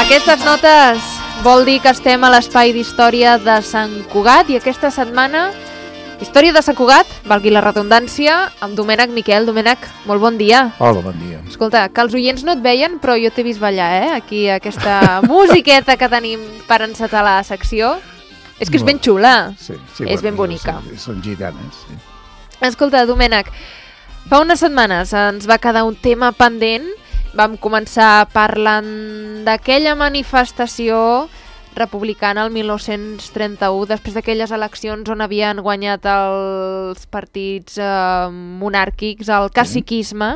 Aquestes notes vol dir que estem a l'espai d'història de Sant Cugat i aquesta setmana, història de Sant Cugat, valgui la redundància, amb Domènec Miquel. Domènec, molt bon dia. Hola, bon dia. Escolta, que els oients no et veien, però jo t'he vist ballar, aquí aquesta musiqueta que tenim per encetar la secció. És que és ben xula, és ben bonica. Són gitanes, sí. Escolta, Domènec, fa unes setmanes ens va quedar un tema pendent. Vam començar parlant d'aquella manifestació republicana el 1931, després d'aquelles eleccions on havien guanyat els partits monàrquics, el caciquisme,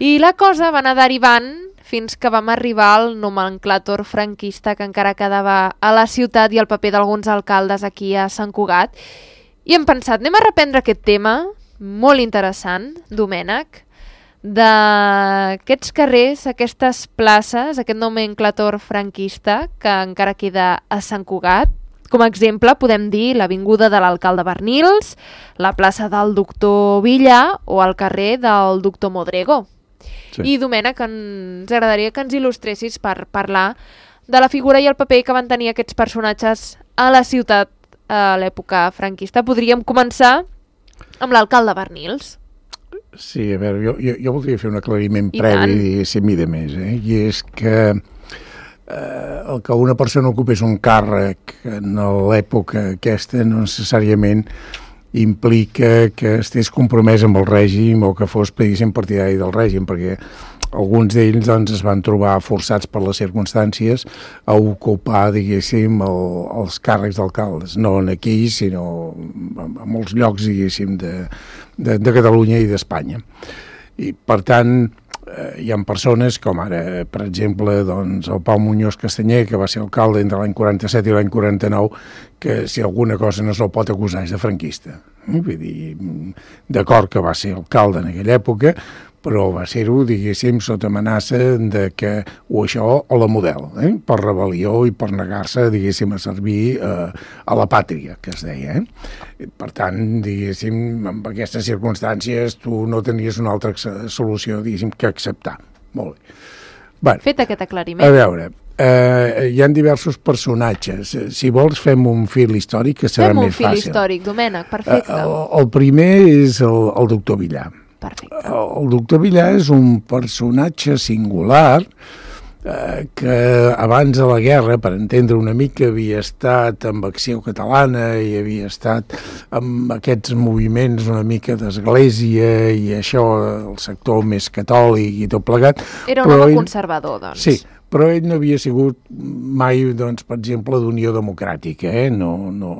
i la cosa va anar derivant fins que vam arribar al nomenclàtor franquista que encara quedava a la ciutat i el paper d'alguns alcaldes aquí a Sant Cugat. I hem pensat, anem a reprendre aquest tema, molt interessant, Domènec, d'aquests carrers, aquestes places, aquest nomenclàtor franquista que encara queda a Sant Cugat. Com a exemple podem dir l'avinguda de l'alcalde Bernils, la plaça del doctor Villa o el carrer del doctor Modrego. Sí. I Domènec, ens agradaria que ens il·lustressis per parlar de la figura i el paper que van tenir aquests personatges a la ciutat a l'època franquista. Podríem començar amb l'alcalde Bernils. Sí, a veure, jo voldria fer un aclariment previ, diguéssim, i de més, i és que el que una persona ocupés un càrrec en l'època aquesta no necessàriament implica que estés compromès amb el règim o que fos, diguéssim, partidari del règim, perquè alguns d'ells doncs, es van trobar forçats per les circumstàncies a ocupar, diguéssim, els càrrecs d'alcaldes, no aquí, sinó a molts llocs, diguéssim, de Catalunya i d'Espanya. I, per tant, hi ha persones com ara, per exemple, doncs, el Pau Muñoz Castanyer, que va ser alcalde entre l'any 47 i l'any 49, que si alguna cosa no se'l pot acusar és de franquista. Vull dir, d'acord que va ser alcalde en aquella època, però va ser-ho, diguéssim, sota amenaça de que o això o la model, per rebel·lió i per negar-se, diguéssim, a servir a la pàtria, que es deia. Per tant, diguéssim, en aquestes circumstàncies tu no tenies una altra solució, diguéssim, que acceptar. Molt bé. Bueno, fet aquest aclariment. A veure, hi ha diversos personatges. Si vols, fem un fil històric, que serà més fàcil. Fem un fil històric, Domènec, perfecte. El primer és el doctor Villar. Perfecte. El doctor Villar és un personatge singular que abans de la guerra, per entendre una mica, havia estat amb Acció Catalana i havia estat amb aquests moviments una mica d'església i això, el sector més catòlic i tot plegat. Era un home conservador, doncs. Sí, però ell no havia sigut mai, doncs, per exemple, d'Unió Democràtica, no,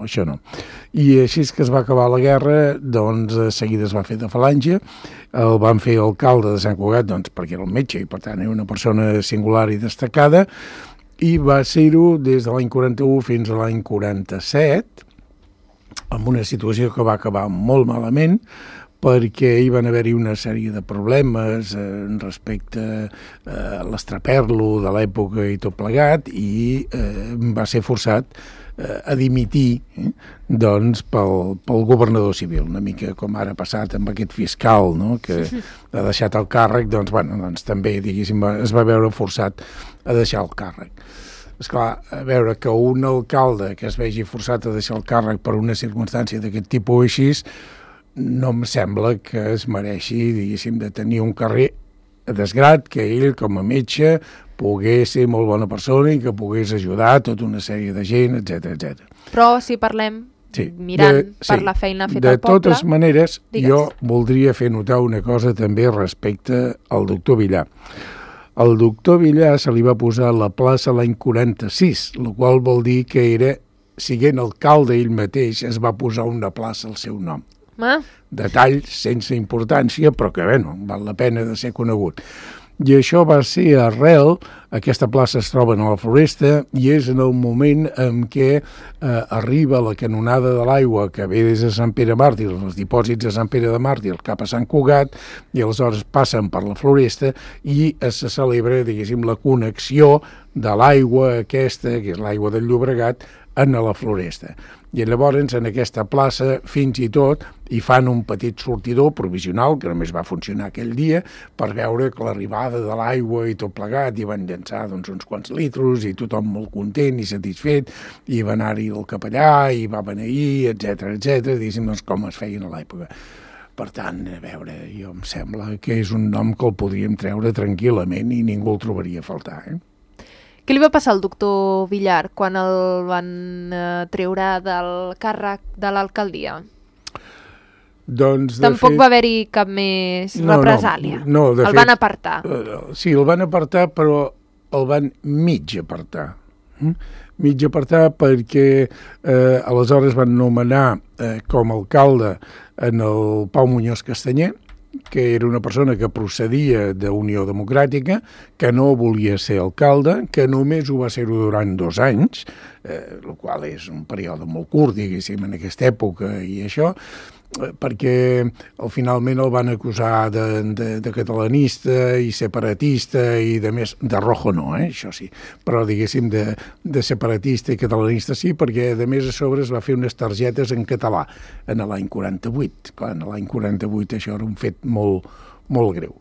això no. I així que es va acabar la guerra, doncs, de seguida es va fer de falange, el van fer alcalde de Sant Cugat, doncs, perquè era el metge i, per tant, era una persona singular i destacada, i va ser-ho des de l'any 41 fins a l'any 47, amb una situació que va acabar molt malament, perquè hi van haver-hi una sèrie de problemes respecte a l'estraperlo de l'època i tot plegat, i va ser forçat a dimitir doncs, pel governador civil, una mica com ara ha passat amb aquest fiscal, no? Que ha deixat el càrrec, doncs, bueno, doncs també, diguéssim, es va veure forçat a deixar el càrrec. Esclar, a veure, que un alcalde que es vegi forçat a deixar el càrrec per una circumstància d'aquest tipus així, no em sembla que es mereixi, diguéssim, de tenir un carrer desgrat, que ell, com a metge, pogués ser molt bona persona i que pogués ajudar tota una sèrie de gent, etc. Però si parlem, mirant per la feina feta al poble... De totes maneres, jo voldria fer notar una cosa també respecte al doctor Villar. Al doctor Villar se li va posar la plaça l'any 46, el qual vol dir que era, siguent alcalde ell mateix, es va posar una plaça al seu nom. Detalls sense importància, però que, bueno, val la pena de ser conegut. I això va ser arrel, aquesta plaça es troba a la Floresta, i és en el moment en què arriba la canonada de l'aigua que ve des de Sant Pere Màrtir, els dipòsits de Sant Pere de Màrtir cap a Sant Cugat, i aleshores passen per la Floresta i se celebra, diguéssim, la connexió de l'aigua aquesta, que és l'aigua del Llobregat, en la Floresta. I llavors en aquesta plaça fins i tot hi fan un petit sortidor provisional que només va funcionar aquell dia per veure que l'arribada de l'aigua i tot plegat i van llançar doncs, uns quants litros i tothom molt content i satisfet i va anar-hi el capellà i va beneir, etc diguéssim, doncs com es feien a l'època. Per tant, a veure, jo em sembla que és un nom que el podríem treure tranquil·lament i ningú el trobaria a faltar, Què li va passar al doctor Villar quan el van treure del càrrec de l'alcaldia? Doncs, Tampoc va haver-hi cap més represàlia. No, el van apartar. Sí, el van apartar, però el van mig apartar. Mig apartar perquè aleshores van nomenar com a alcalde en el Pau Muñoz Castanyer, que era una persona que procedia d'Unió Democràtica, que no volia ser alcalde, que només ho va ser-ho durant 2 anys, el qual és un període molt curt, diguéssim, en aquesta època i això, perquè finalment el van acusar de catalanista i separatista i de més, de rojo no, això sí, però diguéssim de separatista i catalanista sí, perquè a més a sobre es va fer unes targetes en català en l'any 48. Clar, en l'any 48 això era un fet molt, molt greu,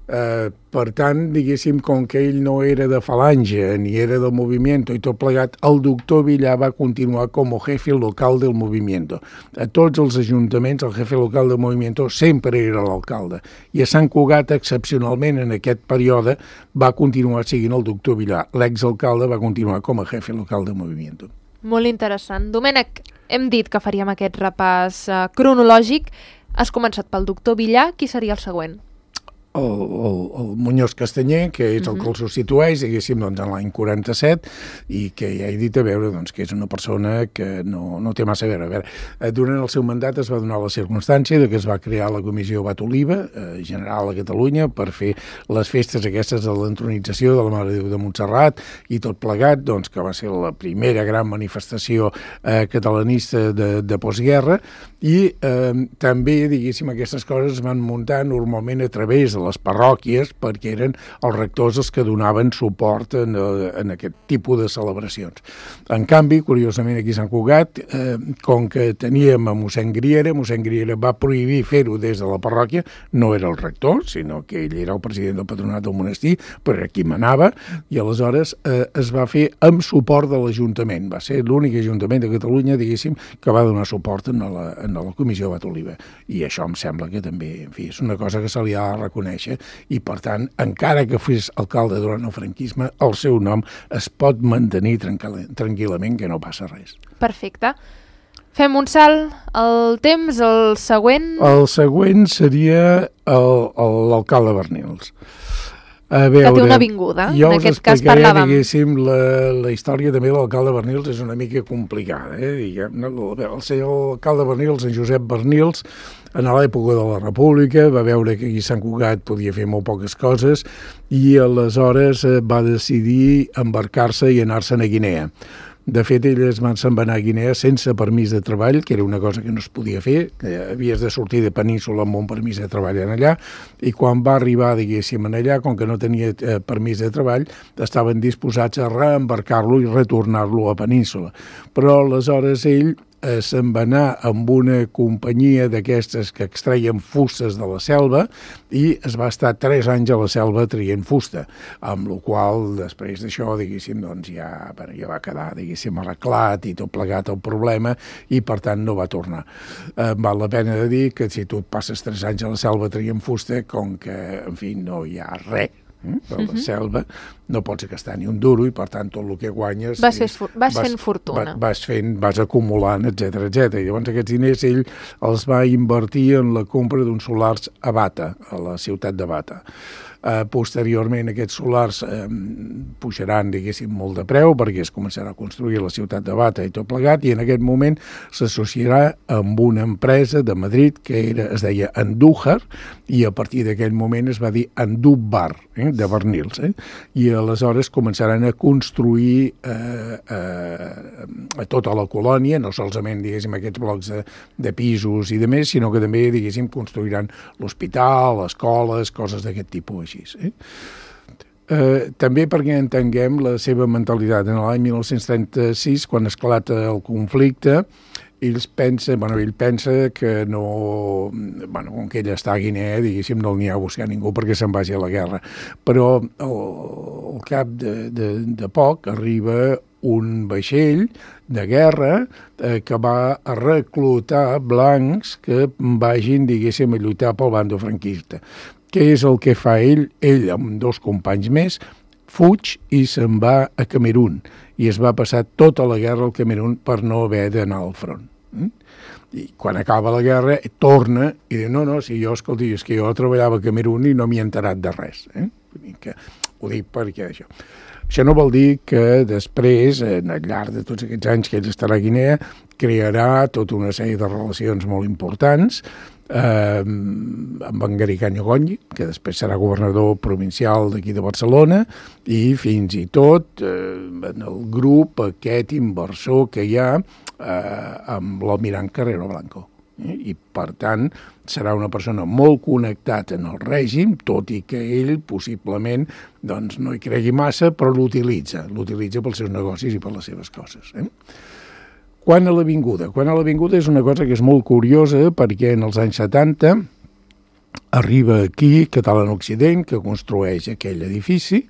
Per tant, diguéssim, com que ell no era de Falange ni era del Movimiento i tot plegat, el doctor Villar va continuar com a jefe local del Movimiento. A tots els ajuntaments el jefe local del Movimiento sempre era l'alcalde i a Sant Cugat, excepcionalment en aquest període, va continuar seguint el doctor Villar. L'exalcalde va continuar com a jefe local del Movimiento. Molt interessant. Domènec, hem dit que faríem aquest repàs cronològic. Has començat pel doctor Villar. Qui seria el següent? El Muñoz Castanyer, que és el que el substitueix, diguéssim, doncs, en l'any 47, i que ja he dit a veure doncs, que és una persona que no té massa a veure. Durant el seu mandat es va donar la circumstància de que es va crear la Comissió Bat Oliva General a Catalunya per fer les festes aquestes de l'entronització de la Mare de Déu de Montserrat i tot plegat, doncs, que va ser la primera gran manifestació catalanista de postguerra, i també, diguéssim, aquestes coses es van muntar normalment a través de les parròquies perquè eren els rectors els que donaven suport en aquest tipus de celebracions. En canvi, curiosament aquí a Sant Cugat, com que teníem a mossèn Griera va prohibir fer-ho des de la parròquia, no era el rector, sinó que ell era el president del patronat del monestir, però era qui manava, i aleshores es va fer amb suport de l'Ajuntament. Va ser l'únic Ajuntament de Catalunya, diguéssim, que va donar suport en la Comissió Bat Oliva. I això em sembla que també, en fi, és una cosa que se li ha de reconèixer i, per tant, encara que fos alcalde durant el franquisme, el seu nom es pot mantenir tranquil·lament, que no passa res. Perfecte. Fem un salt al temps, el següent... El següent seria l'alcalde Bernils. Que té una avinguda, en aquest cas parlàvem. Diguéssim, la història també de l'alcalde Bernils és una mica complicada. El senyor alcalde Bernils, en Josep Bernils, en l'època de la República, va veure que aquí a Sant Cugat podia fer molt poques coses i aleshores va decidir embarcar-se i anar-se'n a Guinea. De fet, ell se'n va anar a Guinea sense permís de treball, que era una cosa que no es podia fer, que havies de sortir de Península amb un permís de treball en allà, i quan va arribar, diguéssim, en allà, com que no tenia permís de treball, estaven disposats a reembarcar-lo i retornar-lo a Península. Però aleshores ell se'n va anar amb una companyia d'aquestes que extreien fustes de la selva i es va estar 3 anys a la selva traient fusta, amb la qual després d'això, diguéssim, doncs ja va quedar, diguéssim, arreglat i tot plegat el problema i per tant no va tornar. Val la pena de dir que si tu et passes 3 anys a la selva traient fusta, com que, en fi, no hi ha res de la selva, no pots gastar ni un duro i per tant tot el que guanyes vas fent fortuna, vas acumulant, etc. I llavors aquests diners ell els va invertir en la compra d'uns solars a Bata, a la ciutat de Bata. Posteriorment aquests solars pujaran, diguéssim, molt de preu perquè es començarà a construir la ciutat de Bata i tot plegat, i en aquest moment s'associarà amb una empresa de Madrid que es deia Andújar, i a partir d'aquell moment es va dir Andújar, de Bernils, i aleshores començaran a construir a tota la colònia, no solament, diguéssim, aquests blocs de pisos i de més, sinó que també, diguéssim, construiran l'hospital, escoles, coses d'aquest tipus així. També perquè entenguem la seva mentalitat. En l'any 1936, quan esclata el conflicte, ell pensa que no... com que ell està a Guinea, diguéssim, no n'hi ha a buscar ningú perquè se'n vagi a la guerra. Però al cap de poc arriba un vaixell de guerra que va a reclutar blancs que vagin, diguéssim, a lluitar pel bando franquista. Què és el que fa ell? Ell, amb 2 companys més, fuig i se'n va a Camerún. I es va passar tota la guerra al Camerún per no haver d'anar al front. I quan acaba la guerra torna i diu, no, si jo, escolti, és que jo treballava a Camerún i no m'hi he enterat de res. Ho dic perquè això. Això no vol dir que després, al llarg de tots aquests anys que ell estarà a Guinea, crearà tota una sèrie de relacions molt importants amb en Garicanyo Goñi, que després serà governador provincial d'aquí de Barcelona, i fins i tot en el grup aquest inversor que hi ha amb l'almirant Carrero Blanco. I, per tant, serà una persona molt connectada en el règim, tot i que ell possiblement no hi cregui massa, però l'utilitza pels seus negocis i per les seves coses. Quan a l'Avinguda? Quan a l'Avinguda és una cosa que és molt curiosa, perquè en els anys 70 arriba aquí Catalan Occident, que construeix aquell edifici,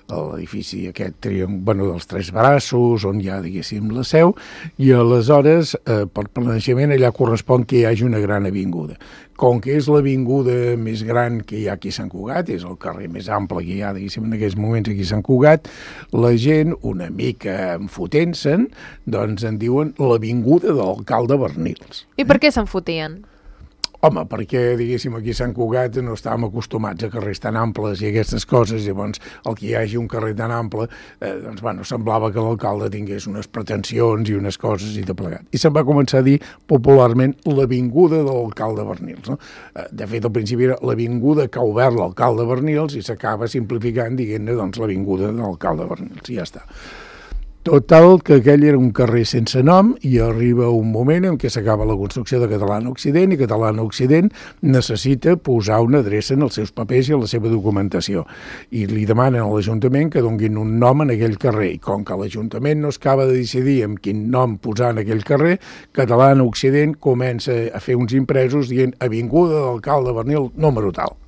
l'edifici aquest dels 3 braços, on hi ha, diguéssim, la seu, i aleshores, per planejament, allà correspon que hi hagi una gran avinguda. Com que és l'avinguda més gran que hi ha aquí a Sant Cugat, és el carrer més ample que hi ha, diguéssim, en aquests moments aquí a Sant Cugat, la gent, una mica enfotent-se'n, en diuen l'avinguda de l'alcalde Bernils. I per què s'enfotien? Home, perquè, diguéssim, aquí a Sant Cugat no estàvem acostumats a carrers tan amples i aquestes coses, llavors el que hi hagi un carrer tan ample, semblava que l'alcalde tingués unes pretensions i unes coses i de plegat. I se'n va començar a dir popularment l'avinguda de l'alcalde Bernils. No? De fet, al principi era l'avinguda que ha obert l'alcalde Bernils i s'acaba simplificant dient-ne l'avinguda de l'alcalde Bernils, i ja està. Total, que aquell era un carrer sense nom i arriba un moment en què s'acaba la construcció de Catalana Occident i Catalana Occident necessita posar una adreça en els seus papers i en la seva documentació. I li demanen a l'Ajuntament que donguin un nom en aquell carrer. I com que l'Ajuntament no es acaba de decidir amb quin nom posar en aquell carrer, Catalana Occident comença a fer uns impresos dient Avinguda de l'alcalde Bernil número tal.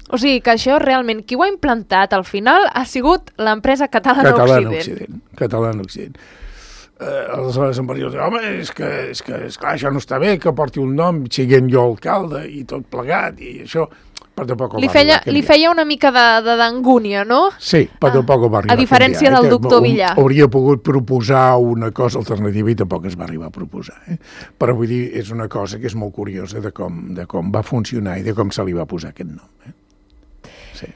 O sigui que això realment, qui ho ha implantat al final ha sigut l'empresa Catalana Occident. Catalana Occident. Aleshores en Bernil diu, home, és que esclar, això no està bé, que porti un nom, siguent jo alcalde i tot plegat, i això... Li feia una mica d'angúnia, no? Sí, però tampoc ho va arribar a diferència del doctor Villar. Hauria pogut proposar una cosa alternativa i tampoc es va arribar a proposar. Però vull dir, és una cosa que és molt curiosa de com va funcionar i de com se li va posar aquest nom. Sí.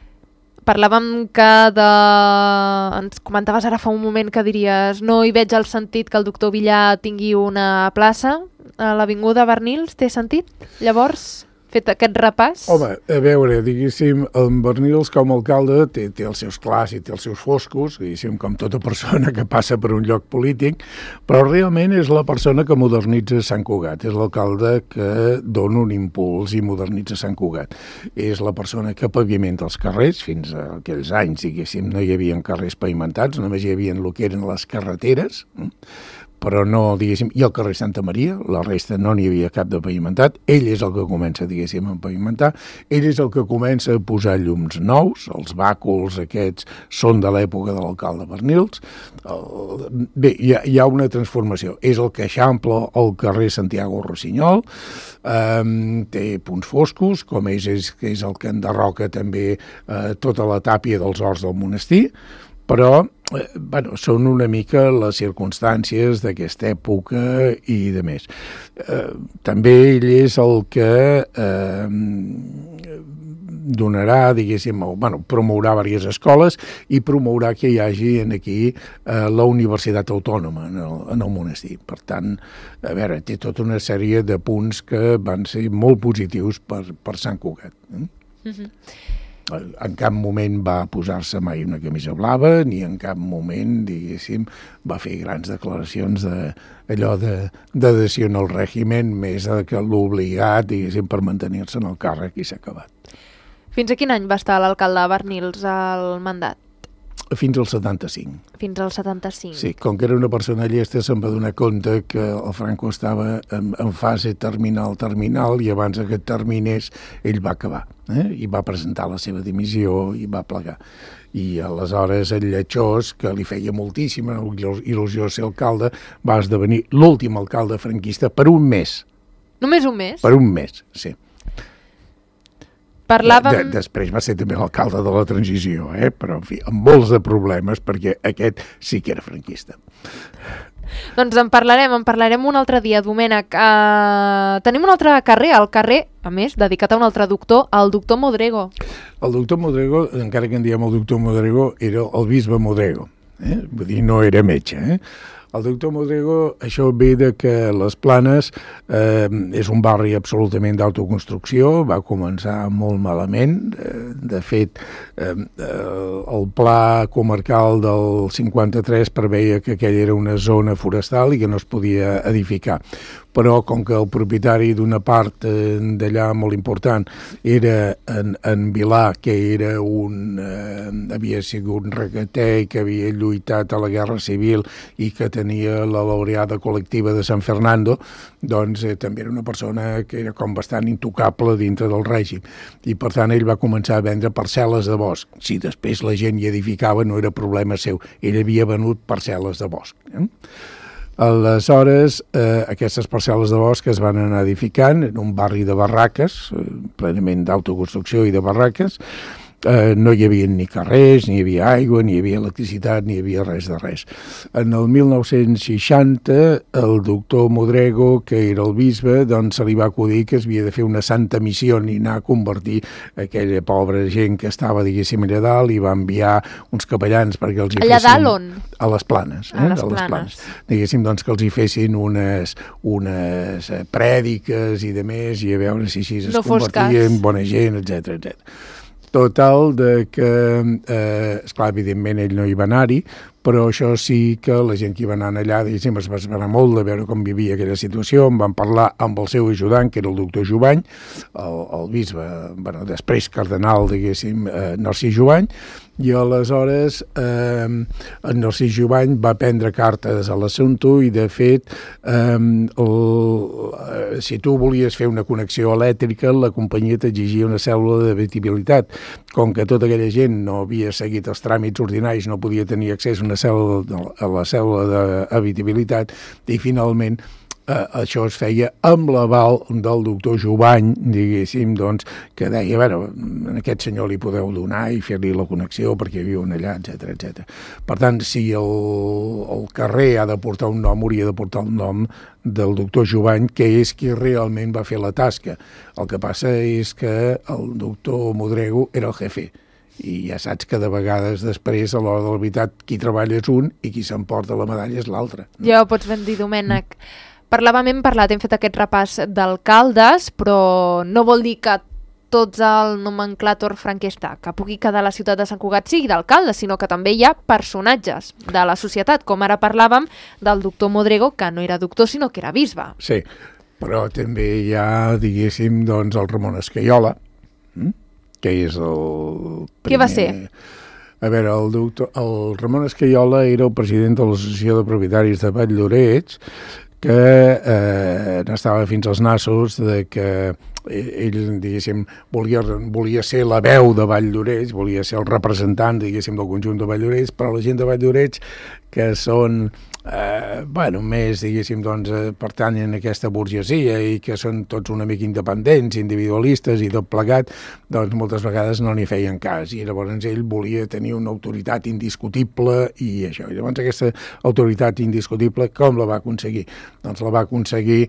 Parlàvem que ens comentaves ara fa un moment que diries no hi veig el sentit que el doctor Villar tingui una plaça a l'Avinguda Bernils. Té sentit? Llavors... fet aquest repàs? Home, a veure, diguéssim, en Bernils com a alcalde té els seus clars i té els seus foscos, diguéssim, com tota persona que passa per un lloc polític, però realment és la persona que modernitza Sant Cugat, és l'alcalde que dona un impuls i modernitza Sant Cugat. És la persona que pavimenta els carrers, fins a aquells anys, diguéssim, no hi havia carrers pavimentats, només hi havia el que eren les carreteres, però no, diguéssim, i el carrer Santa Maria, la resta no n'hi havia cap de pavimentat, ell és el que comença, diguéssim, a pavimentar, ell és el que comença a posar llums nous, els bàculs aquests són de l'època de l'alcalde Bernils, bé, hi ha una transformació, és el que eixampla el carrer Santiago Rossinyol, té punts foscos, com és el que enderroca també tota la tàpia dels horts del monestir, però són una mica les circumstàncies d'aquesta època i de més. També ell és el que donarà, diguéssim, promourà diverses escoles i promourà que hi hagi aquí la Universitat Autònoma en el monestir. Per tant, a veure, té tota una sèrie de punts que van ser molt positius per Sant Cugat. En cap moment va posar-se mai una camisa blava, ni en cap moment, diguéssim, va fer grans declaracions d'allò d'adhesió al règim, més que l'obligat, diguéssim, per mantenir-se en el càrrec i s'ha acabat. Fins a quin any va estar l'alcalde Bernils al mandat? Fins al 75. Fins al 75. Sí, com que era una persona llesta, se'n va donar compte que el Franco estava en fase terminal, i abans que terminés, ell va acabar. I va presentar la seva dimissió i va plegar. I aleshores el Lletjós, que li feia moltíssima il·lusió ser alcalde, va esdevenir l'últim alcalde franquista per un mes. Només un mes? Per un mes, sí. Parlàvem... Després va ser també l'alcalde de la transició, però en fi, amb molts de problemes, perquè aquest sí que era franquista. Doncs en parlarem un altre dia, Domènec. Tenim un altre carrer, el carrer, a més, dedicat a un altre doctor, el doctor Modrego. El doctor Modrego, encara que en diem el doctor Modrego, era el bisbe Modrego, vull dir, no era metge, El doctor Modrego, això ve de que les Planes és un barri absolutament d'autoconstrucció, va començar molt malament. De fet, el pla comarcal del 53 preveia que aquella era una zona forestal i que no es podia edificar. Però com que el propietari d'una part d'allà molt important era en Vilà, que era havia sigut un requeter que havia lluitat a la Guerra Civil i que tenia la laureada col·lectiva de San Fernando, doncs també era una persona que era com bastant intocable dintre del règim. I per tant ell va començar a vendre parcel·les de bosc. Si després la gent hi edificava no era problema seu, ell havia venut parcel·les de bosc. Aleshores, aquestes parcel·les de bosc es van anar edificant en un barri de barraques, plenament d'autoconstrucció i de barraques. No hi havia ni carrers, ni hi havia aigua, ni hi havia electricitat, ni hi havia res de res. En el 1960, el doctor Modrego, que era el bisbe, doncs se li va acudir que es havia de fer una santa missió i anar a convertir aquella pobra gent que estava, diguéssim, allà dalt, i va enviar uns capellans perquè els hi fessin... Allà dalt on? A les Planes. A les Planes. Diguéssim, doncs, que els hi fessin unes prèdiques i de més, i a veure si així es convertia en bona gent, etc. Total, que, esclar, evidentment ell no hi va anar-hi, però això sí que la gent que hi va anar allà, diguéssim, es va esperar molt de veure com vivia aquella situació. En van parlar amb el seu ajudant, que era el doctor Jubany, el bisbe, després cardenal, diguéssim, Narcís Jubany, i aleshores en Narcís Jubany va prendre cartes a l'assumpte i, de fet, si tu volies fer una connexió elèctrica, la companyia t'exigia una cèl·lula d'habitabilitat. Com que tota aquella gent no havia seguit els tràmits ordinaris, no podia tenir accés a la cèl·lula d'habitabilitat, i finalment això es feia amb l'aval del doctor Jubany, diguéssim, doncs, que deia, a aquest senyor li podeu donar i fer-li la connexió perquè viuen allà, etc. Per tant, si el carrer ha de portar un nom, hauria de portar el nom del doctor Jubany, que és qui realment va fer la tasca. El que passa és que el doctor Modrego era el jefe, i ja saps que de vegades després, a l'hora de la veritat, qui treballa és un i qui s'emporta la medalla és l'altre. Ja ho pots ben dir, Domènec. Hem fet aquest repàs d'alcaldes, però no vol dir que tots el nomenclàtor franquista que pugui quedar a la ciutat de Sant Cugat sigui d'alcalde, sinó que també hi ha personatges de la societat, com ara parlàvem del doctor Modrego, que no era doctor, sinó que era bisbe. Sí, però també hi ha, diguéssim, doncs, el Ramon Escaiola, que és el primer... Què va ser? A veure, el Ramon Escaiola era el president de l'Associació de Propietaris de Valldoreix, que n'estava fins als nassos de que ell, diguéssim, volia ser la veu de Valldoreix, volia ser el representant, diguéssim, del conjunt de Valldoreix, però la gent de Valldoreix, que són, més, diguéssim, doncs, pertanyen a aquesta burgesia i que són tots una mica independents, individualistes i tot plegat, doncs moltes vegades no n'hi feien cas, i llavors ell volia tenir una autoritat indiscutible i això. I llavors aquesta autoritat indiscutible com la va aconseguir? Doncs la va aconseguir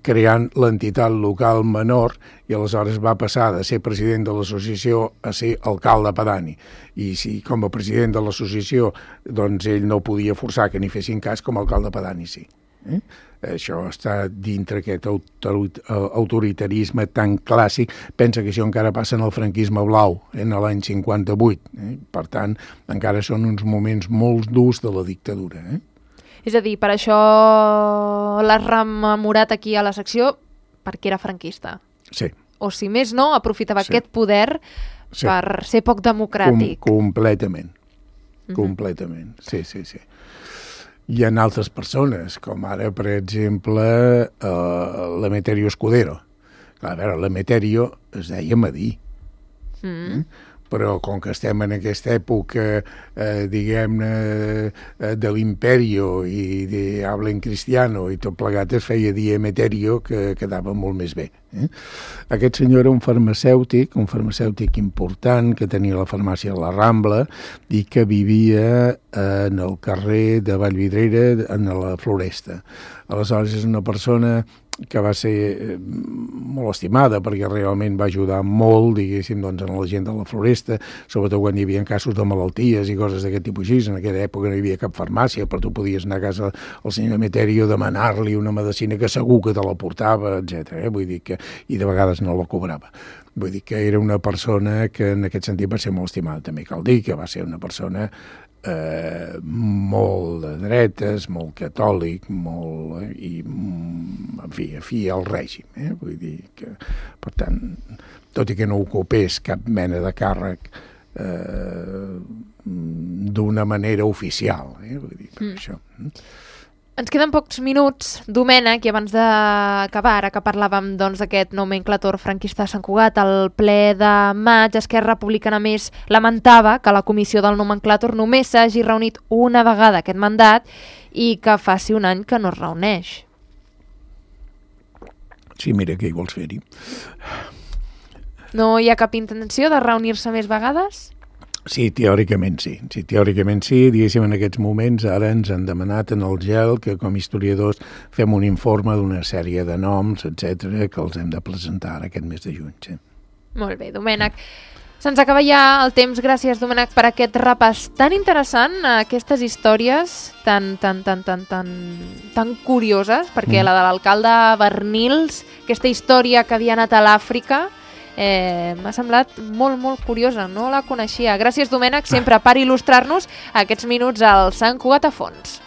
creant l'entitat local menor, i aleshores va passar de ser president de l'associació a ser alcalde pedani. I si com a president de l'associació doncs ell no podia forçar que n'hi fessin cas, com a alcalde pedani sí. Això està dintre aquest autoritarisme tan clàssic. Pensa que això encara passa en el franquisme blau, en l'any 58. Per tant, encara són uns moments molt durs de la dictadura. És a dir, per això l'has rememorat aquí a la secció perquè era franquista. Sí. O si més no, aprofitava aquest poder per ser poc democràtic. Completament. completament, sí. Hi ha altres persones, com ara, per exemple, l'Emeterio Escudero. Clar, a veure, l'Emeterio es deia Madí. Però com que estem en aquesta època, diguem-ne, de l'Imperio i de habla en cristiano i tot plegat es feia dir Emeterio, que quedava molt més bé. Aquest senyor era un farmacèutic important, que tenia la farmàcia a la Rambla i que vivia en el carrer de Vallvidrera, en la Floresta. Aleshores és una persona que va ser molt estimada perquè realment va ajudar molt, diguéssim, doncs, en la gent de la Floresta, sobretot quan hi havia casos de malalties i coses d'aquest tipus així. En aquella època no hi havia cap farmàcia, però tu podies anar a casa al senyor Emeterio, demanar-li una medicina que segur que te la portava, etc. Vull dir que, i de vegades no la cobrava. Vull dir que era una persona que en aquest sentit va ser molt estimada. També cal dir que va ser una persona molt de dretes, molt catòlic, molt, i en fi al règim. Vull dir que, per tant, tot i que no ocupés cap mena de càrrec d'una manera oficial, vull dir, per això. Ens queden pocs minuts, Domènec, i abans d'acabar, ara que parlàvem d'aquest nomenclator franquista de Sant Cugat, al ple de maig, Esquerra Republicana més lamentava que la comissió del nomenclator només s'hagi reunit una vegada aquest mandat i que faci un any que no es reuneix. Sí, mira, què hi vols fer-hi? No hi ha cap intenció de reunir-se més vegades? Sí, teòricament sí. Diguéssim, en aquests moments ara ens han demanat en el GEL que com a historiadors fem un informe d'una sèrie de noms, etc que els hem de presentar aquest mes de juny. Sí. Molt bé, Domènec. Se'ns acaba ja el temps. Gràcies, Domènec, per aquest repàs tan interessant, aquestes històries tan curioses, perquè la de l'alcalde Bernils, aquesta història que havia anat a l'Àfrica, m'ha semblat molt, molt curiosa, no la coneixia. Gràcies, Domènec, sempre per il·lustrar-nos aquests minuts al Sant Cugat a fons.